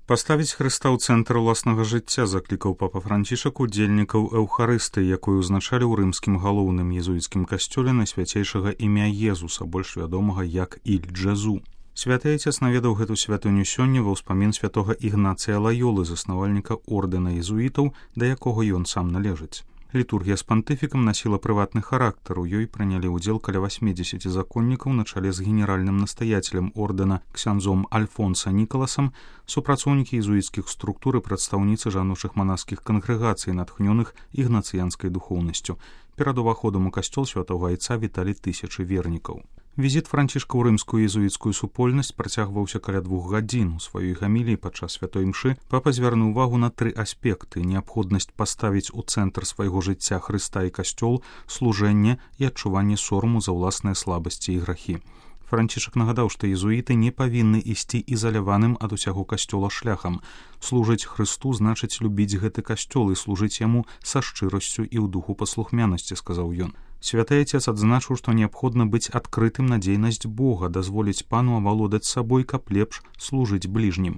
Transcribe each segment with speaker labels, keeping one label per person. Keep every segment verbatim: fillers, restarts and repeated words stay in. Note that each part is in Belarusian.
Speaker 1: Паставіць Хрыста ў цэнтр уласнага жыцця заклікаў папа Францішак удзельнікаў эўхарыстыі, якую ўзначалі ў рымскім галоўным езуіцкім касцёле найсвяцейшага імя Езуса, больш вядомага як Іль Джезу. Святы Айцец наведаў гэту святыню сёння ва ўспамін святога Ігнацыя Лаёлы, заснавальніка ордэна езуітаў, да якога ён сам належыць. Літургія з пантыфікам насіла прыватны характар, у ёй прынялі ўдзел каля васьмідзесяці законнікаў на чале з генеральным настаяцелем ордэна ксяндзом Альфонса Нікаласам, супрацоўнікі езуіцкіх структур і прадстаўніцы жаночых манаскіх кангрэгацый, натхнёных ігнацыянскай духоўнасцю. Перад уваходам у касцёл святога Айца віталі тысячы вернікаў. Візіт Францішка ў рымскую езуіцкую супольнасць працягваўся каля двух гадзін. У сваёй гаміліі падчас святой імшы папа звярнуў увагу на тры аспекты: неабходнасць паставіць у цэнтр свайго жыцця Хрыста і касцёл, служэнне і адчуванне сораму за ўласныя слабасці і грахі. Францішак нагадаў, што езуіты не павінны ісці ізаляваным ад усяго касцёла шляхам. Служыць Хрысту значыць любіць гэты касцёл і служыць яму са шчырасцю і ў духу паслухмянасці, сказаў ён. Святы Айцец адзначыў, што неабходна быць адкрытым на дзейнасць Бога, дазволіць пану авалодаць сабой, каб лепш служыць бліжнім.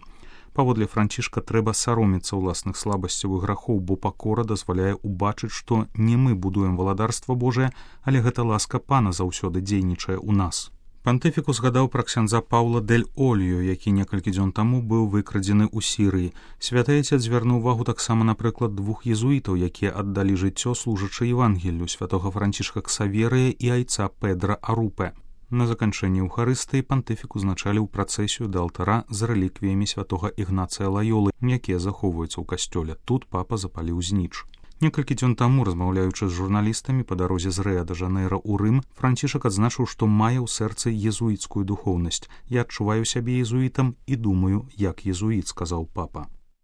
Speaker 1: Паводле Францішка трэба саромецца ўласных слабасцяў і грахоў, бо пакора дазваляе ўбачыць, што не мы будуем валадарства Божае, але гэта ласка пана заўсёды дзейнічае ў нас. Пантыфік узгадаў пра ксяндза Паўла дель Олью, які некалькі дзён таму быў выкрадзены ў Сірыі. Святы Айцец звярнуў увагу таксама, напрыклад, двух езуітаў, якія аддалі жыццё, служачы Евангеллю, святога Францішка Ксаверыя і айца Педра Арупе. На заканчэнні эўхарыстыі пантыфік узначаліў працэсію да алтара з рэліквіямі святога Ігнацыя Лаёлы, якія захоўваюцца ў касцёле. Тут папа запаліў зніч. Некалькі дзён таму, размаўляючы з журналістамі па дарозе з Рыа-дэ-Жанэйра ў Рым, Францішак адзначыў, што мае ў сэрцы езуіцкую духоўнасць. «Я адчуваю сябе езуітам і думаю, як езуіт», сказаў папа.